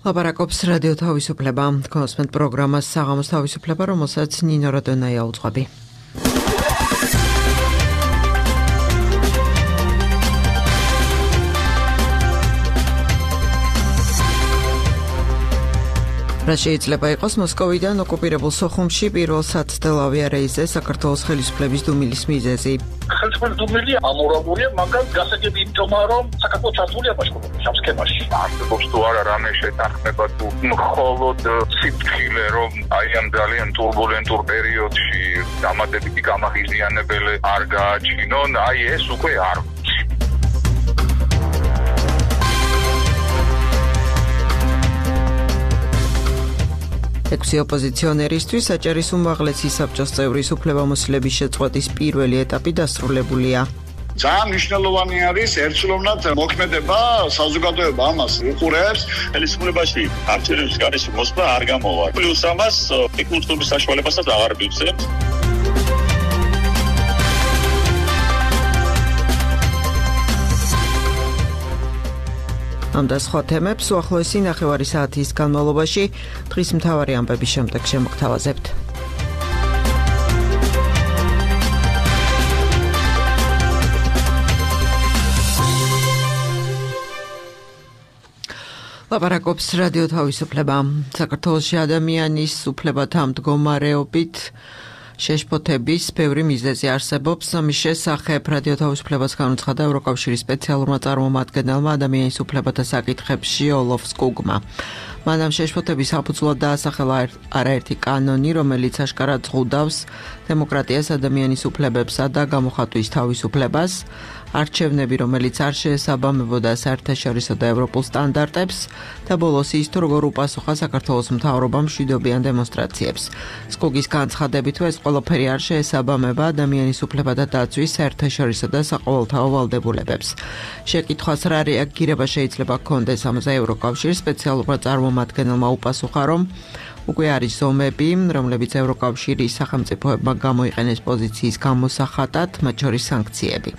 ლაპარაკობს რადიო თავისუფლება. კონსმენტ პროგრამას საღამოს თავისუფლება, რომელსაც ნინო როდონაია უძღვები. რა შეიძლება იყოს მოსკოვიდან ოკუპირებულ სოხუმში პირველ საცდელ ავიარეისზე საქართველოს ხელისუფლების დუმილის მიზეზი. ხელისუფლების დუმილი ამორაგურია, მაგრამ გასაგები იმთომა, რომ საქართველოს ჩართულია ბაშკირეთის ამ სქემაში. არსებობს თუ არა რამე შეთანხმება თუ მხოლოდ სიფრთხილე, რომ აი ამ ძალიან ტურბულენტურ პერიოდში დამატებითი გამაღიზიანებელი არ გააჩინონ, აი ეს უკვე არ ექვსი ოპოზიციონერისთვის საჭირის უმაღლესი საბჭოს წევრის უფლებამოსილების შეწყვეტის პირველი ეტაპი დასრულებულია. ძალიან მნიშვნელოვანი არის ერთწლოვნად მოქმედება, საზოგადოება ამას უყურებს, ხელისუფლებაში არჩევნების გარეშე მოსვლა არ გამოვა. პლუს ამას ეკონომიკის საშუალებასაც აღარ მივცემთ. ამ და სხვა თემებს უახლოესი ნახევარი საათის განმავლობაში დღის მთავარი ამბების შემდეგ შემოგთავაზებთ. ლაპარაკობს რადიო თავისუფლება. საქართველოში ადამიანის უფლებათა მდგომარეობით შეშფოთების ბევრი მიზეზი არსებობს. ამის შესახებ რადიო თავისუფლებას განუცხადა ევროკავშირის სპეციალურმა წარმომადგენელმა ადამიანის უფლებათა საკითხებში ოლოფ სკუგმა. მან ამ შეშფოთების საფუძვლად დაასახელა არაერთი კანონი, რომელიც აშკარად ზღუდავს დემოკრატიას, ადამიანის უფლებებსა და გამოხატვის თავისუფლებას, არჩევნები, რომელიც არ შეესაბამებოდა საერთაშორისო და ევროპულ სტანდარტებს და ბოლოს ის თუ როგორ უპასუხა საქართველოს მთავრობამ მშვიდობიან დემონსტრაციებს. სკუგის განცხადებით, ეს ყველაფერი არ შეესაბამება ადამიანის უფლებათა დაცვის საერთაშორისო და საყოველთაო ვალდებულებებს. შეკითხვას რა რეაგირება შეიძლება ჰქონდეს ამაზე ევროკავშირის სპეციალურმა წარმომადგენელმა უპასუხა, რომ უკვე არის ზომები, რომლებიც ევროკავშირის სახელმწიფოებმა გამოიყენეს პოზიციის გამოსახატად, მათ შორის სანქციები.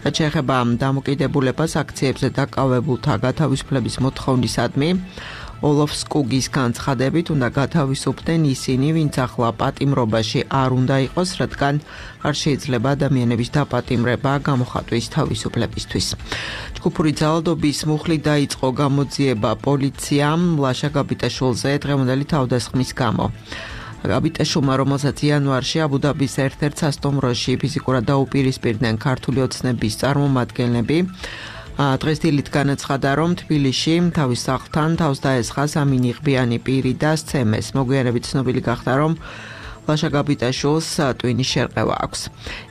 რაც შეეხება დამოკიდებულებას აქციებზე დაკავებულთა გათავისუფლების მოთხოვნისადმი, ოლოფ სკუგის განცხადებით უნდა გათავისუფლდნენ ისინი, ვინც ახლა პატიმრობაში არ უნდა იყოს, რადგან არ შეიძლება ადამიანების დაპატიმრება გამოხატვის თავისუფლებისთვის. ჯგუფური ძალადობის მუხლით დაიწყო გამოძიება პოლიციამ ლაშა გაბიტაშვილზე დღევანდელი თავდასხმის გამო. გაბიტაშვილმა, რომელსაც იანვარში აბუ-დაბის ერთ-ერთ სასტუმროში ფიზიკურად დაუპირისპირდნენ ქართული ოცნების წარმომადგენლები, დღეს დილით განაცხადა, რომ თბილისში თავის სახლთან თავს დაესხა სამი ნიღბიანი პირი და სცემეს. მოგვიანებით ცნობილი გახდა, რომ ლაშა გაბიტაშვილს ტვინის შერყევა აქვს.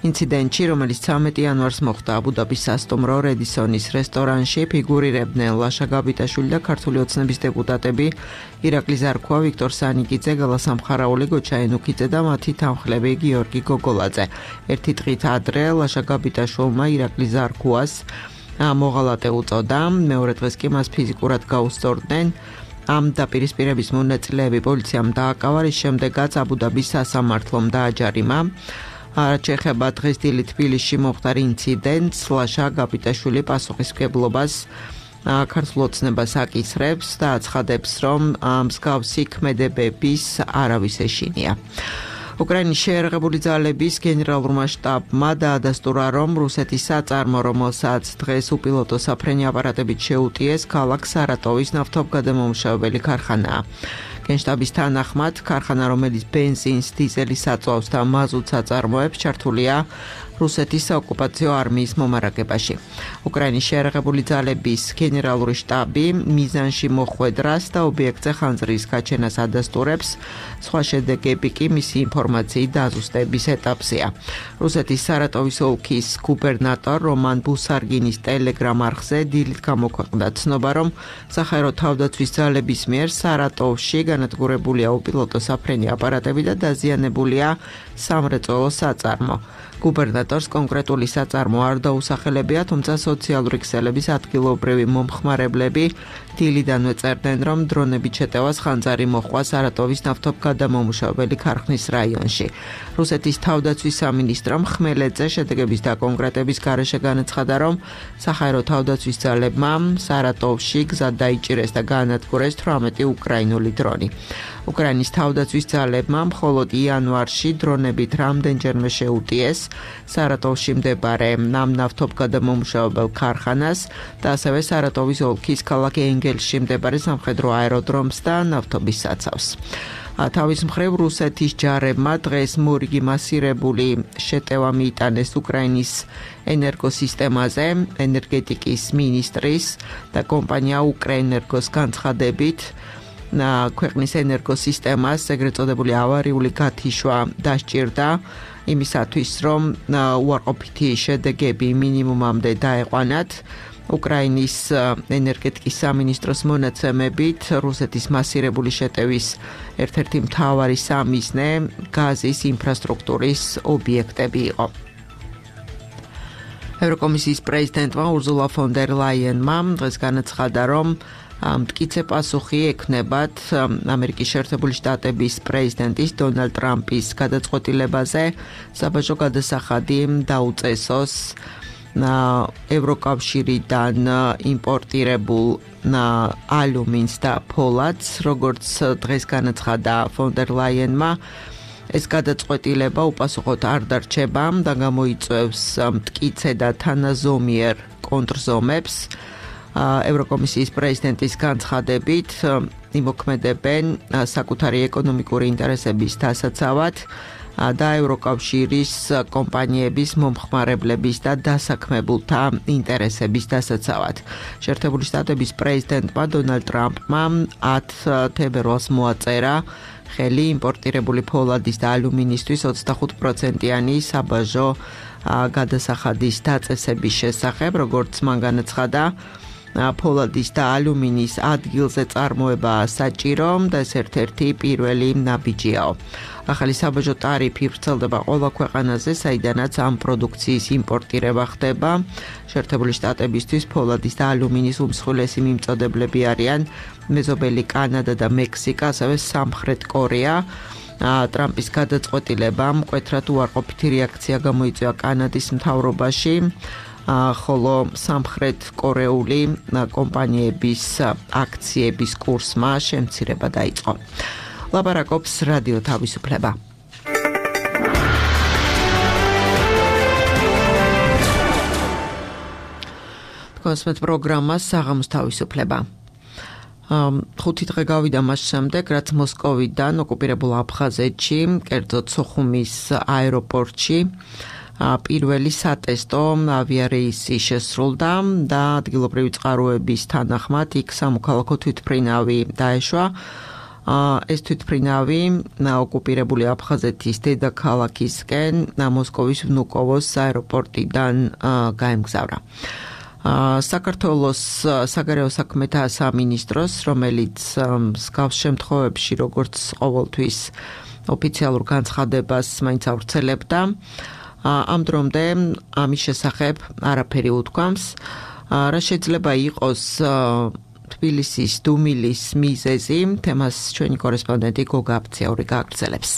ინციდენტში, რომელიც 13 იანვარს მოხდა აბუ-დაბის სასტუმრო რედისონის რესტორანში, ფიგურირებდნენ ლაშა გაბიტაშვილი და ქართული ოცნების დეპუტატები ირაკლი ზარქუა, ვიქტორ სანიკიძე, გელა სამხარაული, გოჩა ენუქიძე და მათი თანხლები გიორგი გოგოლაძე. ერთი დღით ადრე ლაშა გაბიტაშვილმა ირაკლი ზარქუას მოღალატე უწოდა, მეორე დღეს კი მას ფიზიკურად გაუსწორდნენ. ამ დაპირისპირების მონაწილეები პოლიციამ დააკავა, რის შემდეგაც აბუ-დაბის სასამართლომ დააჯარიმა. რაც შეეხება დღეს დილით თბილისში მომხდარ ინციდენტს, ლაშა გაბიტაშვილი პასუხისმგებლობას ქართულ ოცნებას აკისრებს და აცხადებს, რომ მსგავსი ქმედებების არავის ეშინია. უკრაინის შეიარაღებული ძალების გენერალურმა შტაბმა დაადასტურა, რომ რუსეთის საწარმო, რომელსაც დღეს უპილოტო საფრენი აპარატებით შეუტიეს, ქალაქ სარატოვის ნავთობგადამამუშავებელი ქარხანაა. გენშტაბის თანახმად, ქარხანა, რომელიც ბენზინს, დიზელის აწვავს და მაზუტს აწარმოებს, ჩართულია რუსეთის საოკუპაციო არმიის მომარაგებაში. უკრაინის შეიარაღებული ძალების გენერალური შტაბი მიზანში მოხვედრას და ობიექტზე ხანძრის გაჩენას ადასტურებს, სხვა შედეგები კი მისი ინფორმაციით დაზუსტების ეტაპზეა. რუსეთის სარატოვის ოლქის გუბერნატორ რომან ბუსარგინის ტელეგრამ არხზე დილით გამოქვეყნდა ცნობა, რომ საჰაერო თავდაცვის ძალების მიერ სარატოვში განადგურებულია უპილოტო საფრენი აპარატები და დაზიანებულია სამრეწველო საწარმო. გუბერნატორს კონკრეტული საწარმო არ დაუსახელებია, თუმცა სოციალური ქსელების ადგილობრივი მომხმარებლები დილიდანვე წერდნენ, რომ დრონებით შეტევას ხანძარი მოჰყვა სარატოვის ნავთობგადამამუშავებელი ქარხნის რაიონში. რუსეთის თავდაცვის სამინისტრომ ხმელეთზე შედეგების დაკონკრეტების გარეშე განაცხადა, რომ საჰაერო თავდაცვის ძალებმა სარატოვში გზად დაიჭირეს და გაანადგურეს 18 უკრაინული დრონი. უკრაინის თავდაცვის ძალებმა მხოლოდ იანვარში დრონებით რამდენჯერმე შეუტიეს სარატოვში მდებარე ნავთობგადამამუშავებელ ქარხანას და ასევე სარატოვის ოლქის ქალაქ ენგელში მდებარე სამხედრო აეროდრომს და ნავთობის საცავს. თავის მხრივ რუსეთის ჯარებმა დღეს მორიგი მასირებული შეტევა მიიტანეს უკრაინის ენერგოსისტემაზე, ენერგეტიკის მინისტრის და კომპანია უკრაინერგოს განცხადებით ქვეყნის ენერგოსისტემას ეგრეთ წოდებული ავარიული გათიშვა დასჭირდა იმისათვის, რომ უარყოფითი შედეგები მინიმუმამდე დაეყვანათ. უკრაინის ენერგეტიკის სამინისტროს მონაცემებით რუსეთის მასირებული შეტევის ერთ-ერთი მთავარი სამიზნე გაზის ინფრასტრუქტურის ობიექტები იყო. ევროკომისიის პრეზიდენტმა ურზულა ფონ დერ ლაიენმა დღეს განაცხადა, რომ მტკიცე პასუხი ექნებათ ამერიკის შეერთებული შტატების პრეზიდენტის დონალდ ტრამპის გადაწყვეტილებაზე საბაჟო გადასახადი დაუწესოს ევროკავშირიდან იმპორტირებულ ალუმინს და ფოლადს, როგორც დღეს განაცხადა ფონ დერ ლაიენმა, ეს გადაწყვეტილება უპასუხოდ არ დარჩება და გამოიწვევს მტკიცე და თანაზომიერ კონტრზომებს. ევროკომისიის პრეზიდენტის განცხადებით იმოქმედებენ საკუთარი ეკონომიკური ინტერესების დასაცავად და ევროკავშირის კომპანიების მომხმარებლების და დასაქმებულთა ინტერესების დასაცავად. შეერთებული შტატების პრეზიდენტმა დონალდ ტრამპმა 10 თებერვალს მოაწერა ხელი იმპორტირებული ფოლადის და ალუმინისთვის 25%-იანი საბაჟო გადასახადის დაწესების შესახებ, როგორც მან განაცხადა, ფოლადის და ალუმინის ადგილზე წარმოებაა საჭირო და ეს ერთ-ერთი პირველი ნაბიჯიაო. ახალი საბაჟო ტარიფი ვრცელდება ყველა ქვეყანაზე, საიდანაც ამ პროდუქციის იმპორტირება ხდება. შეერთებული შტატებისთვის ფოლადის და ალუმინის უმსხვილესი მიმწოდებლები არიან მეზობელი კანადა და მექსიკა, ასევე სამხრეთ კორეა. ტრამპის გადაწყვეტილებამ მკვეთრად უარყოფითი რეაქცია გამოიწვია კანადის მთავრობაში, ხოლო სამხრეთ კორეული კომპანიების აქციების კურსმა შემცირება დაიწყო. ლაპარაკობს რადიო თავისუფლება. კონსმეთ პროგრამა საღამოს თავისუფლება. 5 დღე გავიდა მას შემდეგ, რაც მოსკოვიდან ოკუპირებულ აფხაზეთში, კერძოდ სოხუმის აეროპორტში პირველი სატესტო ავიარეისი შესრულდა და ადგილობრივი წყაროების თანახმად იქ სამოქალაქო თვითმფრინავი დაეშვა. ეს თვითმფრინავი ოკუპირებული აფხაზეთის დედაქალაქისკენ მოსკოვის ვნუკოვოს აეროპორტიდან გაემგზავრა. საქართველოს საგარეო საქმეთა სამინისტროს, რომელიც მსგავს შემთხვევებში, როგორც ყოველთვის ოფიციალურ განცხადებას მაინც ავრცელებდა, ამ დრომდე ამის შესახებ არაფერი უთქვამს. რა შეიძლება იყოს თბილისის დუმილის მიზეზი, თემას ჩვენი კორესპონდენტი გოგა აფციური გააგრძელებს.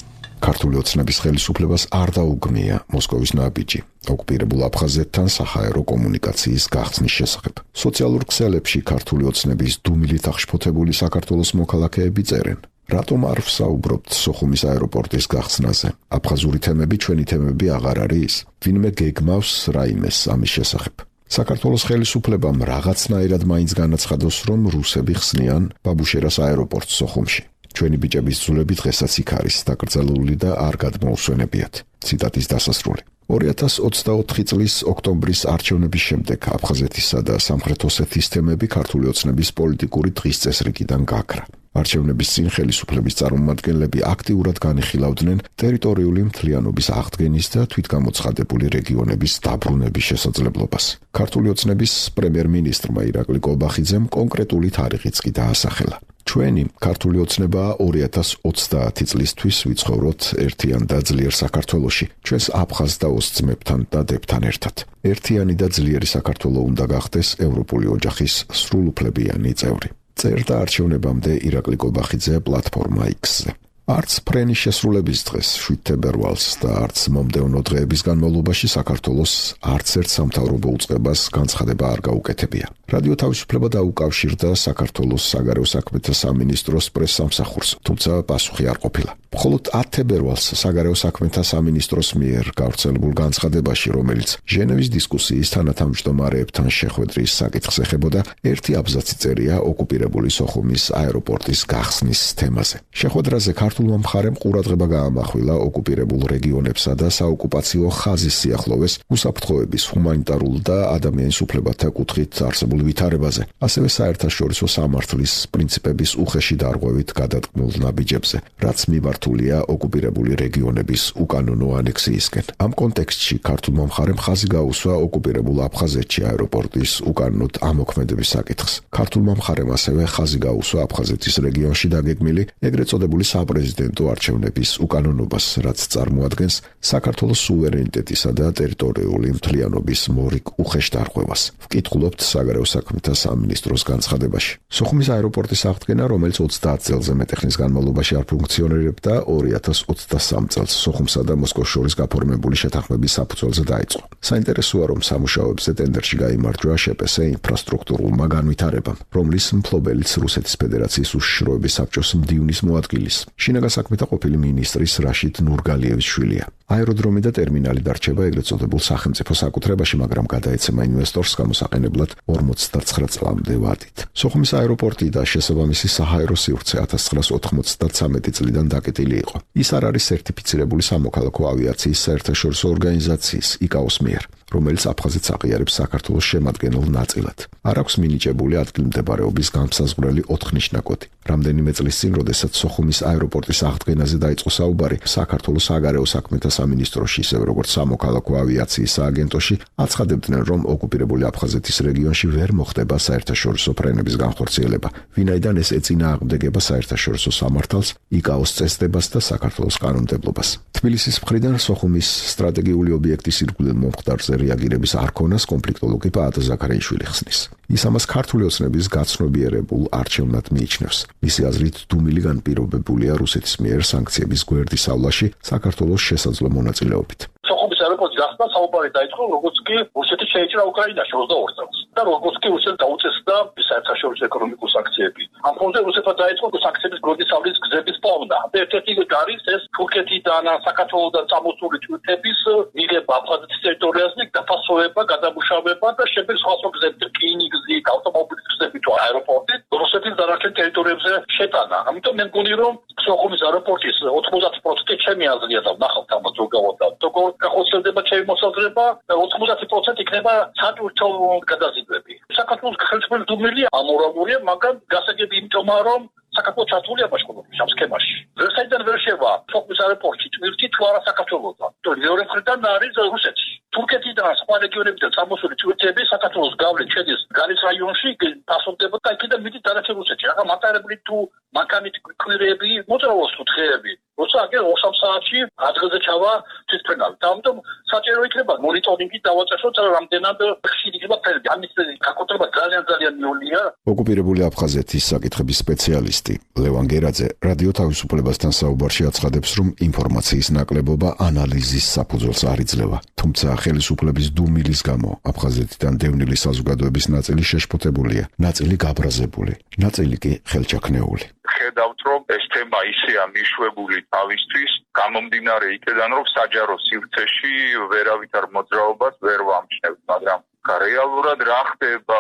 ქართული ოცნების ხელისუფლებას არ დაუგმია მოსკოვის ნაბიჯი ოკუპირებულ აფხაზეთთან საჰაერო კომუნიკაციის გახსნის შესახებ. სოციალურ ქსელებში ქართული ოცნების დუმილით აღშფოთებული საქართველოს მოქალაქეები წერენ: რატომ არ ვსაუბრობთ სოხუმის აეროპორტის გახსნაზე? აფხაზური თემები ჩვენი თემები აღარ არის? ვინმე გეგმავს რაიმეს ამის შესახებ? საქართველოს ხელისუფლებამ რაღაცნაირად მაინც განაცხადოს, რომ რუსები ხსნიან ბაბუშერას აეროპორტს სოხუმში. ჩვენი ბიჭების ძულები დღესაც იქ არის დაკრძალული და არ გადმოუსვენებიათ. ციტატის დასასრული. 2024 წლის ოქტომბრის არჩევნების შემდეგ აფხაზეთისა და სამხრეთ ოსეთის თემები ქართული ოცნების პოლიტიკური დღის წესრიგიდან გაქრა. არჩევნების წინ ხელისუფლების წარმომადგენლები აქტიურად განიხილავდნენ ტერიტორიული მთლიანობის აღდგენის და თვითგამოცხადებული რეგიონების დაბრუნების შესაძლებლობას. ქართული ოცნების პრემიერ-მინისტრმა ირაკლი კოლბახიძემ კონკრეტული თარიღიც კი დაასახელა. ჩვენი ქართული ოცნებაა 2030 წლისთვის ვიცხოვროთ ერთიან და ძლიერ საქართველოში, ჩვენს აფხაზ და ოს ძმებთან და დებთან ერთად. ერთიანი და ძლიერი საქართველო უნდა გახდეს ევროპული ოჯახის სრულუფლებიანი წევრი. წერდა არჩევნებამდე ირაკლი კობახიძე პლატფორმა X-ზე. არც ფრენის შესრულების დღეს 7 თებერვალს და არც მომდევნო დღეების განმავლობაში საქართველოს არც ერთ სამთავრობო უწყებას განცხადება არ გაუკეთებია. რადიო თავისუფლება დაუკავშირდა საქართველოს საგარეო საქმეთა სამინისტროს პრესსამსახურს, თუმცა პასუხი არ ყოფილა. მხოლოდ 10 თებერვალს საგარეო საქმეთა სამინისტროს მიერ გავრცელებულ განცხადებაში, რომელიც ჟენევის დისკუსიის თანათავმჯდომარეებთან შეხვედრის საკითხს ეხებოდა, ერთი აბზაცი წერია ოკუპირებული სოხუმის აეროპორტის გახსნის თემაზე. შეხვედრაზე ქართულმა მხარემ ყურადღება გაამახვილა ოკუპირებულ რეგიონებსა და საოკუპაციო ხაზის სიახლოვეს უსაფრთხოების, ჰუმანიტარულ და ადამიანის უფლებათა კუთხით არსებულ ვითარებაზე, ასევე საერთაშორისო სამართლის პრინციპების უხეში დარღვევით გადატყმულ ნაბიჯებზე, რაც მიმართულია ოკუპირებული რეგიონების უკანონო ანექსიისკენ. ამ კონტექსტში ქართულმა მხარემ ხაზი გაუსვა ოკუპირებულ აფხაზეთში აეროპორტის უკანონოდ ამოქმედების საკითხს. ქართულმა მხარემ ასევე ხაზი გაუსვა აფხაზეთის რეგიონში დაგეგმილი ეგრეთ წოდებული საპრეზიდენტო არჩევნების უკანონობას, რაც წარმოადგენს საქართველოს სუვერენიტეტისა და ტერიტორიული მთლიანობის მორიგ უხეშ დარღვევას. ვკითხულობთ საგარეო საქმეთა სამინისტროს განცხადებაში. სოხუმის აეროპორტის აღდგენა, რომელიც 30 წელზე მეტი ხნის განმავლობაში არ ფუნქციონირებდა, 2023 წელს სოხუმსა და მოსკოვს შორის გაფორმებული შეთანხმების საფუძველზე დაიწყო. საინტერესოა, რომ სამუშაოებზე ტენდერში გაიმარჯვა შპს ინფრასტრუქტურულმა განვითარებამ, რომლის მფლობელიც რუსეთის ფედერაციის უშიშროების საბჭოს მდივნის მოადგილის, შინაგან საქმეთა ყოფილი მინისტრის რაშიდ ნურგალიევის შვილია. აეროდრომი და ტერმინალი დარჩება ეგრეთ წოდებულ სახელმწიფო საკუთრებაში, მაგრამ გადაეცემა ინვესტორს გამოსაყენებლად 49 წლამდე ვადით. სოხუმის აეროპორტი და შესაბამისი საჰაერო სივრცე 1993 წლიდან დაკეტილი იყო. ის არ არის სერტიფიცირებული სამოქალაქო ავიაციის საერთაშორისო ორგანიზაციის ICAO-ს მიერ, რომელიც აფხაზეთს აყიარებს საქართველოს შემადგენელ ნაწილად. არ აქვს მინიჭებული ადგილმდებარეობის განმსაზღვრელი 4 ნიშნაკოდი. რამდენიმე წლის წინ, როდესაც სოხუმის აეროპორტის აღდგენაზე დაიწყო საუბარი, საქართველოს საგარეო საქმეთა სამინისტროში, ისევე როგორც სამოქალაქო ავიაციის სააგენტოში, აცხადებდნენ, რომ ოკუპირებული აფხაზეთის რეგიონში ვერ მოხდება საერთაშორისო ფრენების განხორციელება, ვინაიდან ეს ეწინააღმდეგება საერთაშორისო სამართალს, ICAO-ს წესდებას და საქართველოს კანონმდებლობას. თბილისის მხრიდან სოხუმის სტრატეგიული ობიექტის ირგვლივ მომხდარზე რეაგირების არქონას კონფლიქტოლოგი პაატ ზაქარიაშვილი ხსნის. ის ამას ქართული ოცნების გაცნობიერებულ არჩევნად მიიჩნევს. მისი აზრით, დუმილი განპირობებულია რუსეთის მიერ სანქციების გვერდისავლაში საქართველოს შესაძლო მონაწილეობით. სოხუმის აეროპორტის გახსნა საუბარი დაიწყო, როგორც კი რუსეთი შეიჭრა უკრაინაში 22 წელს და როგორც კი რუსეთს დაუწესდა საერთაშორისო ეკონომიკური სანქციები. ამ ფონზე რუსეთმა დაიწყო სანქციების გვერდის ავლის გზების პოვნა. ერთ-ერთი არის ეს თურქეთიდან, საქართველოსთან წამოსული თვითების მიღება აფხაზეთის ტერიტორიაზე, დაფასება, გადამუშავება და შემდეგ სხვა გზები, რკინიგზით, ავტომობილის გზებით თუ აეროპორტით რუსეთის დანარჩენ ტერიტორიებზე შეტანა. ამიტომ მე მგონი, რომ სოხუმის აეროპორტის 90% ჩემი აზრია და ვნახავთ ამას ზოგადად. როგორ გახოცებდება ჩემი მოსაზრება, 90% იქნება სატვირთო გადაზიდვები. საქართველოს ხელისუფლების დუმილი ამორალურია, მაგრამ გასაგები იმიტომა, რომ საქართველოს ჩართულია ბაშკირეთის ამ სქემაში. ვერსაიდან ვერ შევა სოხუმის აეროპორტში თვირთი თუ არა საქართველოსთან. მეორე მხრიდან არის რუსეთი. თურქეთიდან სხვა რეგიონებიდან წამოსული თვირთები საქართველოს გავლით შედის გალის რაიონში, პასუხდება და იქიდან მიდის დანარჩენ რუსეთში. მაგრამ მატარებლით თუ მანქანით კვირები, მოძრაობს თუ დღეები. როცა აგერ 2-3 საათში ადგილზე ჩავა თვითფრენავით. ამიტომ საჭირო იქნება მონიტორინგი დავაწესოთ, რამდენად ხშირი იქნება ფრენები. ამის გაკუთრება ძალიან მიოლია. ოკუპირებული აფხაზეთის საკითხების სპეციალისტი ლევან გერაძე რადიო თავისუფლებასთან საუბარში აცხადებს, რომ ინფორმაციის ნაკლებობა ანალიზის საფუძველს არ იძლევა. თუმცა ხელისუფლების დუმილის გამო აფხაზეთიდან დევნილი საზოგადოების ნაწილი შეშფოთებულია, ნაწილი გაბრაზებული, ნაწილი კი ხელჩაქნეული. ხედავთ, რომ ეს თემა ისეა მიშვებული თავისთვის, გამომდინარე იქედან, რომ საჯარო სივრცეში ვერავითარ მოძრაობას ვერ ვამჩნევთ, მაგრამ რეალურად რა ხდება,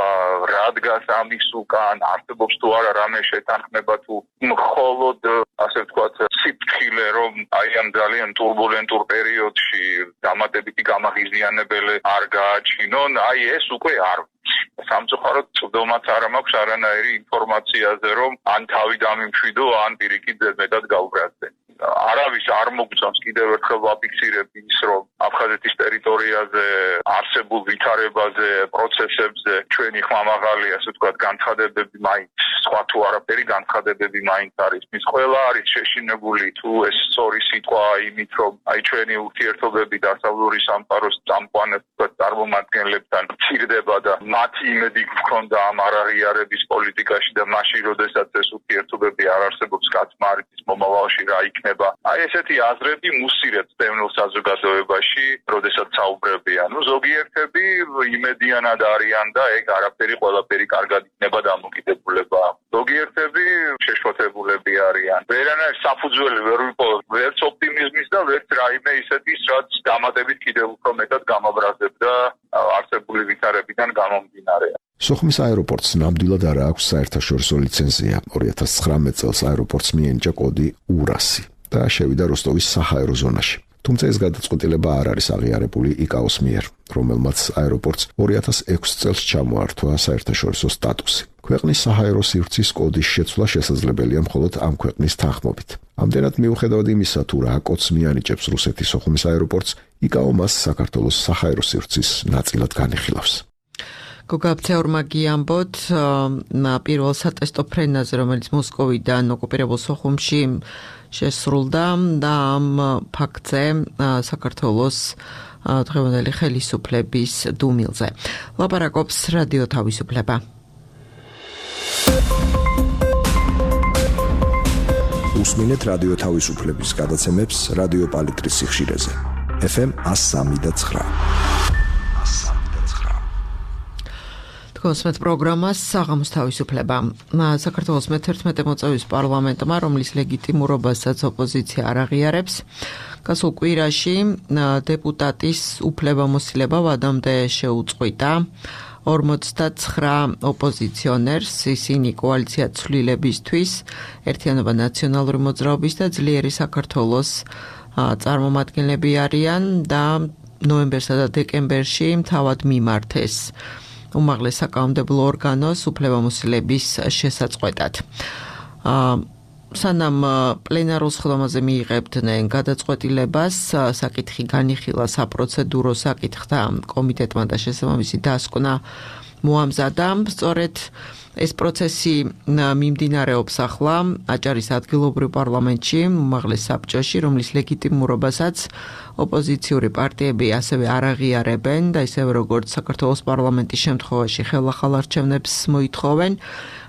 რა დგას ამის უკან, არსებობს თუ არა რამე შეთანხმება თუ მხოლოდ ასე ვთქვათ სიფრთხილე, რომ აი ამ ძალიან ტურბულენტურ პერიოდში დამატებითი გამაღიზიანებელი არ გააჩინონ, აი ეს უკვე არ სამწუხაროდ წვდომაც არ მაქვს არანაირი ინფორმაციაზე, რომ ან თავი დამიმშვიდო, ან პირიქით მეტად გაუბრაზდე. არავის არ მოგწონს კიდევ ერთხელ ვაფიქსირებ ის, რომ აფხაზეთის ტერიტორიაზე არსებულ ვითარებაზე, პროცესებზე ჩვენი ხმამაღალი, ასე ვთქვათ, განცხადებები მაინც სხვა თუ არაფერი განცხადებები მაინც არის. ის ყველა არის შეშინებული თუ ეს სწორი სიტყვა იმით, რომ ჩვენი ურთიერთობები დასავლური სამყაროს წამყვან წარმომადგენლებთან მცირდება და მათი იმედი გქონდა ამ არაღიარების პოლიტიკაში და მაშინ, როდესაც ეს ურთიერთობები არ არსებობს, კაცმა არ იცის მომავალში რა იქნება. ესეთი აზრები მუსირებს დევნილ საზოგადოებაში, როდესაც საუბრებიან. ზოგიერთები იმედიანად არიან და ეგ არაფერი ყველაფერი კარგად იქნება დამოკიდებულება. ზოგიერთები შეშფოთებულები არიან. ვერანაირ საფუძველი ვერ ვიპოვებ ვერც ოპტიმიზმის და ვერც რაიმე ისეთის, რაც დამატებით კიდევ უფრო მეტად გამაბრაზებდა არსებული ვითარებიდან გამომდინარე. სოხუმის აეროპორტს ნამდვილად არ აქვს საერთაშორისო ლიცენზია. 2019 წელს აეროპორტს მიენიჭა კოდი ურასი და შევიდა როსტოვის საჰაერო ზონაში. თუმცა ეს გადაწყვეტილება არ არის აღიარებული იკაოს მიერ, რომელმაც აეროპორტს 2006 წელს ჩამოართვა საერთაშორისო სტატუსი. ქვეყნის საჰაერო სივრცის კოდის შეცვლა შესაძლებელია მხოლოდ ამ ქვეყნის თანხმობით. ამდენად მიუხედავად იმისა, თუ რა კოდს მიანიჭებს რუსეთის სოხუმის აეროპორტს, იკაო მას საქართველოს საჰაერო სივრცის ნაწილად განიხილავს. გოგაბცეორმა გიამბოთ პირველ სატესტო ფრენაზე, რომელიც მოსკოვიდან ოკუპირებულ სოხუმში შესრულდა და ამ ფაქტზე საქართველოს დღევანდელი ხელისუფლების დუმილზე. ლაპარაკობს რადიო თავისუფლება. უსმინეთ რადიო თავისუფლების გადაცემებს რადიო პალიტრის სიხშირეზე. FM 103.9. კონსმეთ პროგრამას საღამოს თავისუფლება. საქართველოს მე-11 მოწვევის პარლამენტმა, რომლის ლეგიტიმურობასაც ოპოზიცია არ აღიარებს, გასულ კვირაში დეპუტატის უფლებამოსილება ვადამდე შეუწყვიტა 49 ოპოზიციონერს, ისინი კოალიცია ცვლილებისთვის, ერთიანობა ნაციონალური მოძრაობის და ძლიერი საქართველოს წარმომადგენლები არიან და ნოემბერსა და დეკემბერში თავად მიმართეს უმაღლეს საკანონმდებლო ორგანოს უფლებამოსილების შესაწყვეტად. სანამ პლენარულ სხდომაზე მიიღებდნენ გადაწყვეტილებას, საკითხი განიხილა საპროცედურო საკითხთა კომიტეტმა და შესაბამისი დასკვნა მოამზადა. სწორედ ეს პროცესი მიმდინარეობს ახლა აჭარის ადგილობრივ პარლამენტში, უმაღლეს საბჭოში, რომლის ლეგიტიმურობასაც ოპოზიციური პარტიები ასევე არ აღიარებენ და ისევე როგორც საქართველოს პარლამენტის შემთხვევაში ხელახალ არჩევნებს მოითხოვენ.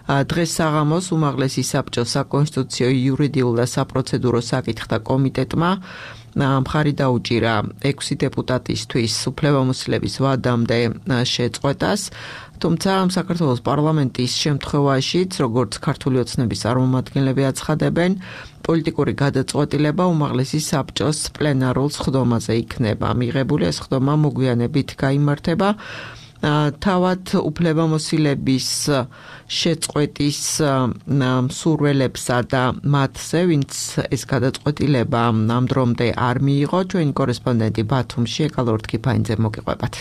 დღეს საღამოს უმაღლესი საბჭოს საკონსტიტუციო, იურიდიულ და საპროცედურო საკითხთა კომიტეტმა მხარი დაუჭირა 6 დეპუტატისთვის უფლებამოსილების ვადამდე შეწყვეტას. თუმცა საქართველოს პარლამენტის შემთხვევაშიც, როგორც ქართული ოცნების წარმომადგენლები აცხადებენ, პოლიტიკური გადაწყვეტილება უმაღლესი საბჭოს პლენარულ სხდომაზე იქნება მიღებული. ეს სხდომა მოგვიანებით გაიმართება. თავად უფლებამოსილების შეწყვეტის მსურველებსა და მათზე, ვინც ეს გადაწყვეტილება ამ დრომდე არ მიიღო, ჩვენი კორესპონდენტი ბათუმში ეკალორ თქიფაინძე მოგიყვებათ.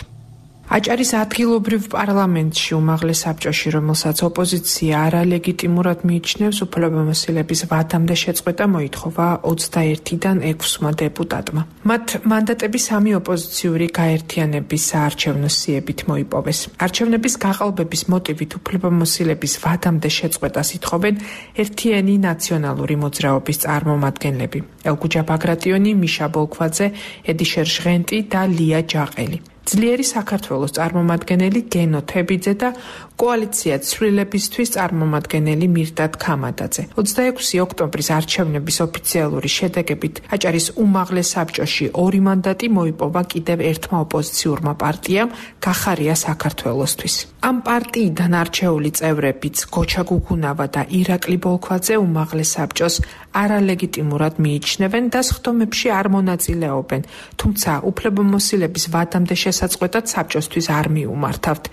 აჭარის ადგილობრივ პარლამენტში უმაღლეს საბჭოში, რომელსაც ოპოზიცია არალეგიტიმურად მიიჩნევს, უფლებამოსილების ვადამდე შეწყვეტა მოითხოვა 21-დან 6-მა დეპუტატმა. მათ მანდატები 3 ოპოზიციური გაერთიანების საარჩევნო სიებით მოიპოვეს. არჩევნების გაყალბების მოტივით უფლებამოსილების ვადამდე შეწყვეტას ითხოვენ ერთიანი ნაციონალური მოძრაობის წარმომადგენლები: ელგუჯა ბაგრატიონი, მიშა ბოლქვაძე, ედიშერ ჟღენტი და ლია ჯაყელი. ძლიერი საქართველოს წარმომადგენელი გენო თებიძე და კოალიცია ცვლილებისთვის წარმომადგენელი მირდად ქამადაძე. 26 ოქტომბრის არჩევნების ოფიციალური შედეგებით აჭარის უმაღლეს საბჭოში 2 მანდატი მოიპოვა კიდევ ერთმა ოპოზიციურმა პარტიამ გახარია საქართველოსთვის. ამ პარტიიდან არჩეული წევრებიც გოჩა გუგუნავა და ირაკლი ბოლქვაძე უმაღლეს საბჭოს არალეგიტიმურად მიიჩნევენ და სხდომებში არ მონაწილეობენ, თუმცა უფლებამოსილების ვადამდე შესაწყვეტად საბჭოსთვის არ მიუმართავთ.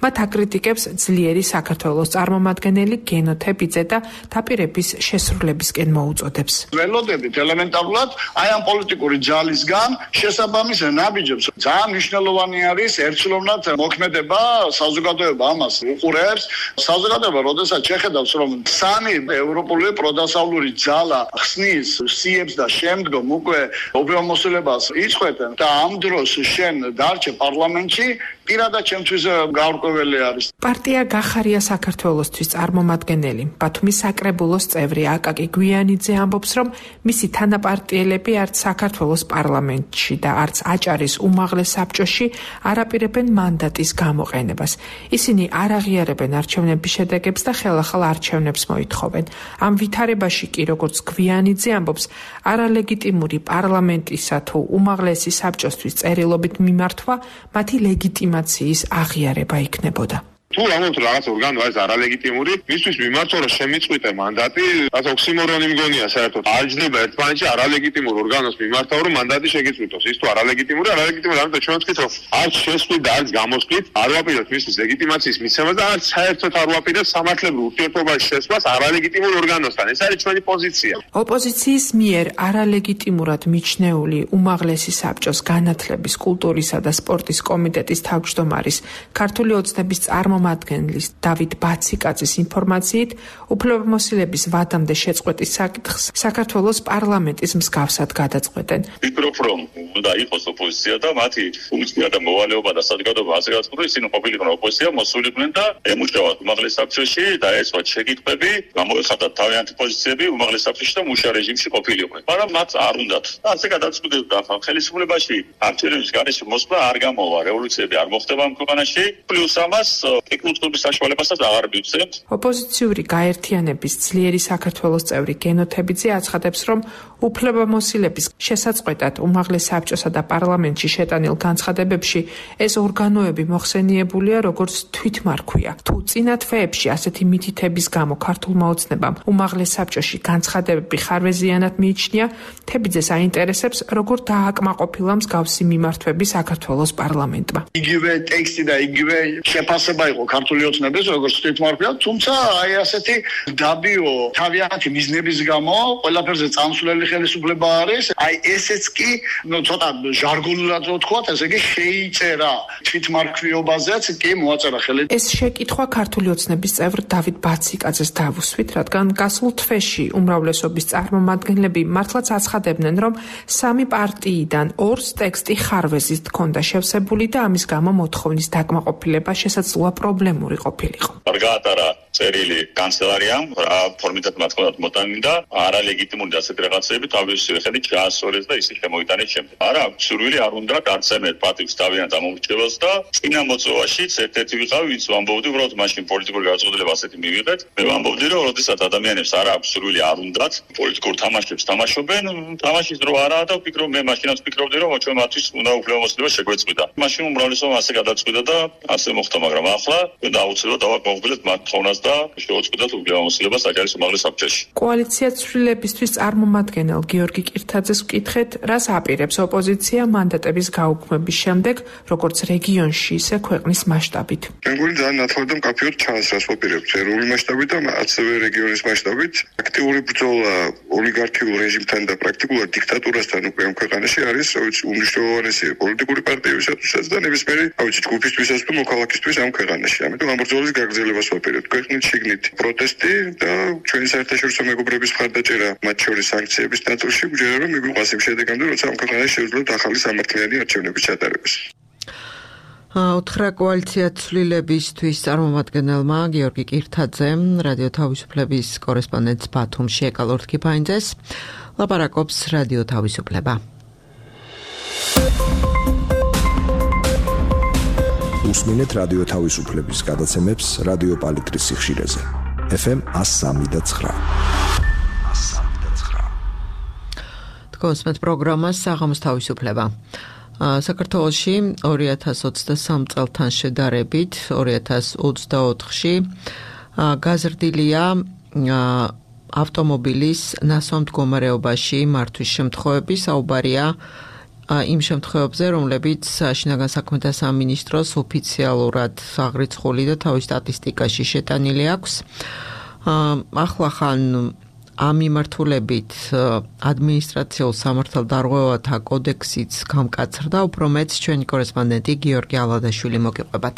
მათ აკრიტიკებს ძლიერი საქართველოს წარმომადგენელი გენო თებიძე და დაპირების შესრულებისკენ მოუწოდებს. ველოდებით ელემენტარულად აი ამ პოლიტიკური ძალისგან შესაბამის ნაბიჯებს. ძალიან მნიშვნელოვანი არის ერთსულოვნად მოქმედება, საზოგადოება ამას უყურებს. საზოგადოება როდესაც შეხედავს, რომ სამი ევროპული პროდასავლური ძალა ხსნის სიებს და შემდგომ უკვე უფლებამოსილებას იწყვეტენ და ამ დროს შენ დარჩე პარლამენტში, პირადად ჩემთვის გაურკვეველი არის. პარტია გახარია საქართველოსთვის წარმომადგენელი ბათუმის საკრებულოს წევრი აკაკი გვიანიძე ამბობს, რომ მისი თანაპარტიელები არც საქართველოს პარლამენტში და არც აჭარის უმაღლეს საბჭოში არ აპირებენ მანდატის გამოყენებას. ისინი არ აღიარებენ არჩევნების შედეგებს და ხელახალ არჩევნებს მოითხოვენ. ამ ვითარებაში კი, როგორც გვიანიძე ამბობს, არალეგიტიმური პარლამენტისა თუ უმაღლესი საბჭოსთვის წერილობით მიმართვა მათი ლეგიტიმაციის აღიარება იქნებოდა. თუ რაღაც ორგანო არის არალეგიტიმური, მისთვის მიმართვა რომ შემიწყვიტე მანდატი, რაც ოქსიმორონი მგონია საერთოდ. არ ჯდება ერთმანეთში არალეგიტიმურ ორგანოს მიმართა რომ მანდატი შეგიწყვიტოს. ის თუ არალეგიტიმური, ამიტომ ჩვენ ვთქვით რომ არც შესვით და არც გამოსვლით არ ვაპირებთ მისთვის ლეგიტიმაციის მიცემას და არც საერთოდ არ ვაპირებთ სამართლებრივ ურთიერთობაში შესვლას არალეგიტიმურ ორგანოსთან. ეს არის ჩვენი პოზიცია. ოპოზიციის მიერ არალეგიტიმურად მიჩნეული უმაღლესი საბჭოს განათლების, კულტურისა და სპორტის კომიტეტის თავმჯდომარის ქართული ოცნების წარმომადგენლის დავით ბაციკაძის ინფორმაციით, უფლებამოსილების ვადამდე შეწყვეტის საკითხს საქართველოს პარლამენტის მსგავსად გადაწყვეტენ. ვფიქრობ, რომ უნდა იყოს ოპოზიცია და მათი ფუნქცია და მოვალეობა და საზოგადოება ასე გაწყვეტა, ისინი ყოფილიყო ოპოზიცია, მოსულიყვნენ და ემუშავათ უმაღლეს საბჭოში, დაეცვათ შეკითხვები, გამოეხატათ თავიანთი პოზიციები უმაღლეს საბჭოში და მუშა რეჟიმში ყოფილიყვნენ. მაგრამ მათ არ უნდათ. ასე გადაწყვეტილდა ხელისუფლებაში არჩევნების გარეშე მოსვლა არ გამოვა, რევოლუციები არ მოხდება ამ ქვეყანაში, პლუს ამას ტექნოლოგიების საშუალებასაც აღარ მივცემთ. ოპოზიციური გაერთიანების ძლიერი საქართველოს წევრი გენო თებიძე აცხადებს, რომ უფლებამოსილების შესაწყვეტად უმაღლეს საბჭოსა და პარლამენტში შეტანილ განცხადებებში ეს ორგანოები მოხსენიებულია როგორც თვითმარქვია. თუ წინა თვეებში ასეთი მითითების გამო ქართულმა ოცნებამ უმაღლეს საბჭოში განცხადებები ხარვეზიანად მიიჩნია, თებიძეს აინტერესებს, როგორ დააკმაყოფილა მსგავსი მიმართვები საქართველოს პარლამენტმა. იგივე ტექსტი და იგივე შეფასება იყო ქართული ოცნების, როგორც თვითმარქვია, თუმცა აი ასეთი დაბიო თავიანთი მიზნების გამო ყველაფერზე წამსვლელი ხელისუფლება არის. აი ესეც კი, ცოტა ჟარგონულად ვთქვათ, ესე იგი შეიწერა თვითმარქვიობაზეც კი მოაწერა ხელი. ეს შეკითხვა ქართული ოცნების წევრ დავით ბაციკაძეს დავუსვით, რადგან გასულ თვეში უმრავლესობის წარმომადგენლები მართლაც აცხადებდნენ, რომ სამი პარტიიდან ორს ტექსტი ხარვეზით ჰქონდა შევსებული და ამის გამო მოთხოვნის დაკმაყოფილება შესაძლოა პრობლემური ყოფილიყო. არ გაატარა წერილი კანცელარიამ, რა ფორმითაც მათ ხონდათ მოტანილი და არალეგიტიმური და ასეთი რაღაცები თავისი ხელით ჩაასწორეს და ისე შემოიტანეს შემდეგ. არა, სურვილი არ უნდა გარცემეთ პატივს თავიანთ ამომრჩევას და წინა მოწვევაშიც ერთ-ერთი ვიყავი, ვინც ვამბობდი, უბრალოდ მაშინ პოლიტიკური გადაწყვეტილება ასეთი მივიღეთ. მე ვამბობდი, რომ როდესაც ადამიანებს არ აქვს სურვილი არ უნდათ პოლიტიკურ თამაშებს თამაშობენ, თამაშის დრო არაა და ვფიქრობ, მე მაშინაც ვფიქრობდი, რომ ჩვენ მათთვის უნდა უფლებამოსილება შეგვეწყვიტა. მაშინ უმრავლესობამ ასე გადაწყვიტა და ასე მოხდა, მაგრამ ახლა ჩვენ აუცილებლად დავაკმაყოფილეთ მათ თოვნას და შევაწყვეტათ უფლებამოსილება საჯარის უმაღლეს საბჭოში. კოალიცია ცვლილებისთვის წარმომადგენელ გიორგი კირთაძეს ვკითხეთ, რას აპირებს ოპოზიცია მანდატების გაუქმების შემდეგ, როგორც რეგიონში, ისე ქვეყნის მასშტაბით. მეგონი ძალიან ნათლად და მკაფიოდ ჩანს ვაპირებთ ეროვნული მასშტაბით და ასევე რეგიონის მასშტაბით. აქტიური ბრძოლა ოლიგარქიულ რეჟიმთან და პრაქტიკულად დიქტატურასთან უკვე ამ ქვეყანაში არის, უმნიშვნელოვანესი პოლიტიკური პარტიებისათვის და ნებისმიერი, ჯგუფისთვისაც თუ მოქალაქისთვის ამ ქვეყანაში. ამიტომ ამ ბრძოლის გაგრძელებას ვაპირებთ. ქვეყნით შიგნით პროტესტი და ჩვენი საერთაშორისო მეგობრების მხარდაჭერა, მათ შორის სანქციების ნაწილში, გვჯერა რომ მიგვიყვას იმ შედეგამდე, როცა ამ ქვეყანაში შევძლებთ ახალი სამართლიანი არჩევნების ჩატარებას. უთხრა კოალიცია ცვლილებისთვის წარმომადგენელმა გიორგი კირთაძემ რადიო თავისუფლების კორესპონდენტს ბათუმში ეკალორთ კიფაინძეს ლაპარაკობს რადიო თავისუფლება. უსმინეთ რადიო თავისუფლების გადაცემებს რადიო პალიტრის სიხშირეზე. FM 103.9. თქვენს პროგრამას საღამოს თავისუფლება. საქართველოში 2023 წელთან შედარებით 2024-ში გაზრდილია ავტომობილის ნასვამ მდგომარეობაში მართვის შემთხვევები, საუბარია იმ შემთხვევებზე, რომლებიც შინაგან საქმეთა სამინისტროს ოფიციალურად აღრიცხული და თავის სტატისტიკაში შეტანილი აქვს. ახლა ხან ამ მიმართულებით ადმინისტრაციულ სამართალდარღვევათა კოდექსიც გამკაცრდა, უფრო მეც ჩვენი კორესპონდენტი გიორგი ალადაშვილი მოგიყვებათ.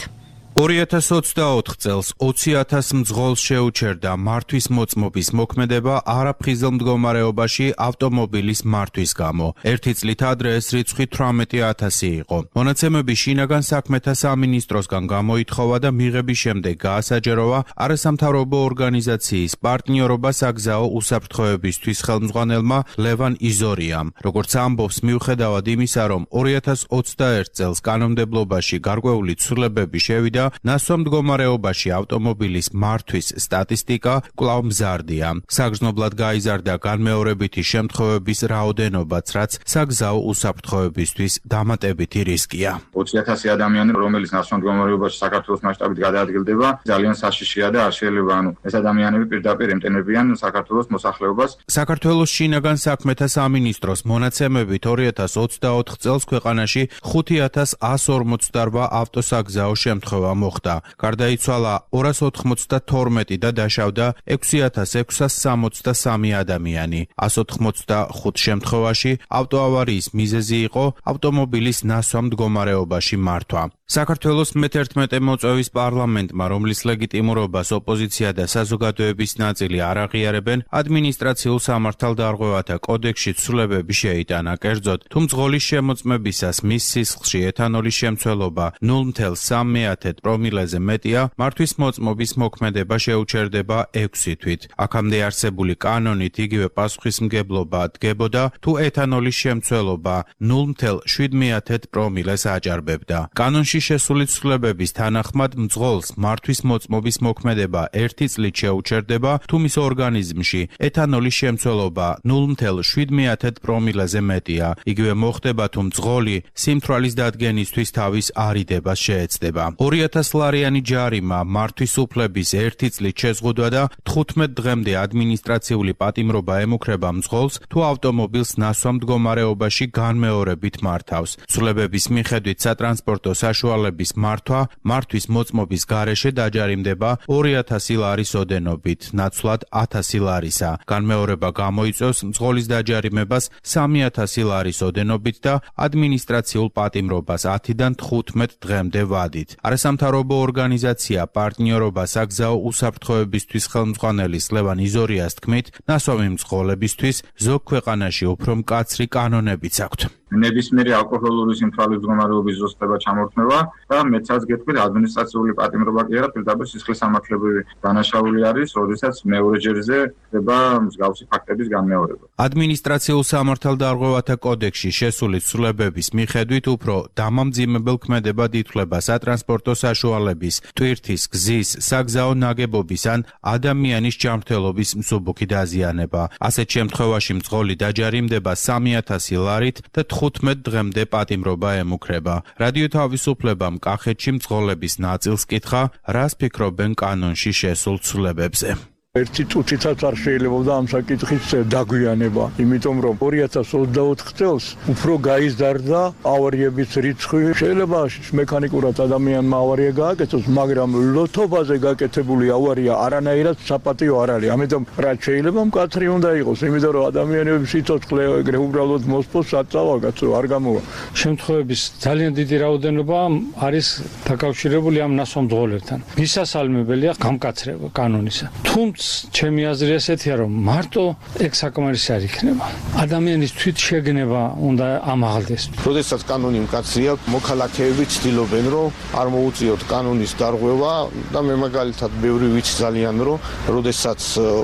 2024 წელს 20,000 მძღოლს შეუჩერდა მართვის მოწმობის მოქმედება არაფხიზელ მდგომარეობაში ავტომობილის მართვის გამო. ერთი წლით ადრე ეს რიცხვი 18,000 იყო. მონაცემები შინაგან საქმეთა სამინისტროსგან გამოითხოვა და მიღების შემდეგ გაასაჯაროვა არასამთავრობო ორგანიზაციის პარტნიორობა საგზაო უსაფრთხოებისთვის ხელმძღვანელმა ლევან იზორიამ. როგორც ამბობს, მიუხედავად იმისა, რომ 2021 წელს კანონმდებლობაში გარკვეული ცვლილებები შევიდა, ნასვამ მდგომარეობაში ავტომობილის მართვის სტატისტიკა კვლავ მზარდია. საგრძნობლად გაიზარდა განმეორებითი შემთხვევების რაოდენობაც, რაც საგზაო უსაფრთხოებისთვის დამატებითი რისკია. 20,000 ადამიანი, რომელიც ნასვამ მდგომარეობაში საქართველოს მასშტაბით გადაადგილდება, ძალიან საშიშია და არ შეიძლება ეს ადამიანები პირდაპირ ემტენებიან საქართველოს მოსახლეობას. საქართველოს შინაგან საქმეთა სამინისტროს მონაცემებით 2024 წელს ქვეყანაში 5,148 ავტოსაგზაო შემთხვევა მოხდა. გარდაიცვალა 292 და დაშავდა 6,663 ადამიანი. 185 შემთხვევაში ავტოავარიის მიზეზი იყო ავტომობილის ნასვამ მდგომარეობაში მართვა. საქართველოს მე-11 მოწვევის პარლამენტმა, რომლის ლეგიტიმურობას ოპოზიცია და საზოგადოების ნაწილი არ აღიარებენ, ადმინისტრაციულ სამართალდარღვევათა კოდექსში ცვლილებები შეიტანა. კერძოდ, თუ მძღოლის შემოწმებისას მის სისხლში ეთანოლის შემცველობა 0,3 პრომილეზე მეტია, მართვის მოწმობის მოქმედება შეუჩერდება 6 თვით. აქამდე არსებული კანონით იგივე პასუხისმგებლობა დგებოდა, თუ ეთანოლის შემცველობა 0,7 პრომილეს აჯარბებდა. კანონში შესული ცვლილებების თანახმად მძღოლს მართვის მოწმობის მოქმედება 1 წლით შეუჩერდება, თუ მის ორგანიზმში ეთანოლის შემცველობა 0,7 პრომილეზე მეტია. იგივე მოხდება, თუ მძღოლი სიმთვრალის დადგენისთვის თავის არიდებას შეეცდება. 2,000 ლარიანი ჯარიმა, მართვის უფლების 1 წლით შეზღუდვა და 15 დღემდე ადმინისტრაციული პატიმრობა ემუქრება მძღოლს, თუ ავტომობილს ნასვამ მდგომარეობაში განმეორებით მართავს. ცვლილებების მიხედვით სატრანსპორტო საშუალების მართვა მართვის მოწმობის გარეშე დაჯარიმდება 2,000 ლარის ოდენობით, ნაცვლად 1,000 ლარისა. განმეორება გამოიწვევს მძღოლის დაჯარიმებას 3,000 ლარის ოდენობით და ადმინისტრაციულ პატიმრობას 10-დან 15 დღემდე ვადით. არასამთავრობო ორგანიზაცია პარტნიორობა საგზაო უსაფრთხოებისთვის ხელმძღვანელის ლევან იზორიას თქმით, ნასვამი მძღოლებისთვის ზოგ ქვეყანაში უფრო მკაცრი კანონებიც აქვთ. ნებისმიერი ალკოჰოლური სიმთვრალის მდგომარეობის ზუსტება ჩამორთმევა და მეცაც გეტყვით ადმინისტრაციული პატიმრობა კი არა, პირდაპირ სისხლის სამართლებრივი დანაშაული არის, როდესაც მეორეჯერზე ხდება მსგავსი ფაქტების განმეორება. ადმინისტრაციულ სამართალდარღვევათა კოდექსში შესული ცვლილებების მიხედვით უფრო დამამძიმებელ ქმედებად ითვლება სატრანსპორტო საშუალების, ტვირთის, გზის, საგზაო ნაგებობის ან ადამიანის ჯანმრთელობის მსუბუქი დაზიანება. ასეთ შემთხვევაში მძღოლი დაჯარიმდება 3,000 ლარით და 15 დღემდე პატიმრობა ემუქრება. რადიო თავისუფლებამ კახეთში მძღოლების ნაწილს კითხა, რას ფიქრობენ კანონში შესულ ცვლილებებზე. ერთი წუთითაც არ შეიძლება ამ საკითხის დაგვიანება, იმიტომ რომ 2024 წელს უფრო გაიზარდა ავარიების რიცხვი. შეიძლება მექანიკურად ადამიანმა ავარია გააკეთოს, მაგრამ ლოთობაზე გაკეთებული ავარია არანაირად საპატიო არ არის. ამიტომ რაც შეიძლება მკაცრი უნდა იყოს, იმიტომ რომ ადამიანების სიცოცხლე ეგრე უბრალოდ მოსპოს საწავაგაცო არ გამოვა. შემთხვევების ძალიან დიდი რაოდენობა არის დაკავშირებული ამ ნასვამ მძღოლებთან. მისასალმებელია გამკაცრება კანონისა. თუმცა ჩემი აზრი ესეთია, რომ მარტო ეგ საკმარისი არ იქნება. ადამიანის თვითშეგნება უნდა ამაღლდეს. როდესაც კანონი მკაცრია, მოქალაქეები ცდილობენ, რომ არ მოუწიოთ კანონის დარღვევა და მე მაგალითად ბევრი ვიცი ძალიან, რომ როდესაც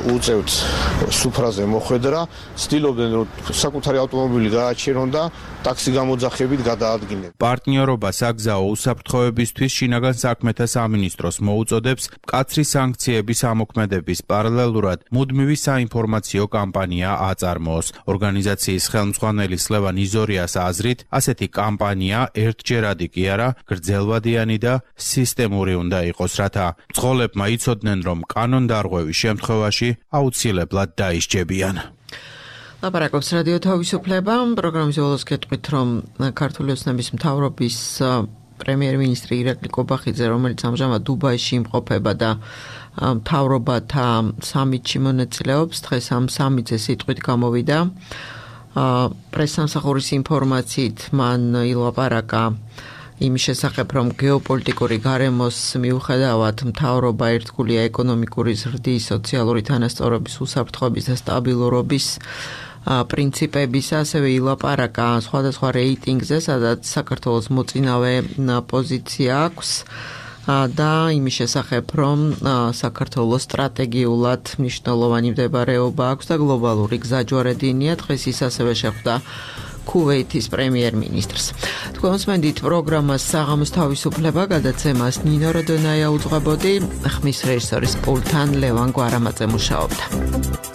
უწევთ სუფრაზე მოხვედრა, ცდილობენ, რომ საკუთარი ავტომობილი გააჩერონ და ტაქსი გამოძახებით გადაადგინონ. პარტნიორობა საგზაო უსაფრთხოებისთვის შინაგან საქმეთა სამინისტროს მოუწოდებს მკაცრი სანქციების ამოქმედების პარალელურად მუდმივი საინფორმაციო კამპანია აწარმოოს. ორგანიზაციის ხელმძღვანელის ლევან იზორიას აზრით, ასეთი კამპანია ერთჯერადი კი არა, გრძელვადიანი და სისტემური უნდა იყოს, რათა მძღოლებმა იცოდნენ, რომ კანონდარღვევის შემთხვევაში აუცილებლად დაისჯებიან. ლაპარაკობს რადიო თავისუფლება. პროგრამის ბოლოს გეტყვით, რომ ქართული ოცნების მთავრობის პრემიერ-მინისტრი ირაკლი კობახიძე, რომელიც ამჟამად დუბაიში იმყოფება და მთავრობათა სამიტში მონაწილეობს, დღეს ამ სამიტზე სიტყვით გამოვიდა. პრესსამსახურის ინფორმაციით მან ილაპარაკა იმის შესახებ, რომ გეოპოლიტიკური გარემოს მიუხედავად მთავრობა ერთგულია ეკონომიკური ზრდის, სოციალური თანასწორობის, უსაფრთხოების და სტაბილურობის პრინციპების, ასევე ილაპარაკა სხვადასხვა რეიტინგზე, სადაც საქართველოს მოწინავე პოზიცია აქვს და იმის შესახებ, რომ საქართველოს სტრატეგიულად მნიშვნელოვანი მდებარეობა აქვს და გლობალური გზაჯვარედინია. დღეს ის ასევე შეხვდა ქუვეითის პრემიერ-მინისტრს. თქვენ მოსმენთ პროგრამას საღამოს თავისუფლება, გადაცემას ნინო როდონაია უძღვებოდი, ხმის რეჟისორის პულტთან ლევან გვარამაძე მუშაობდა.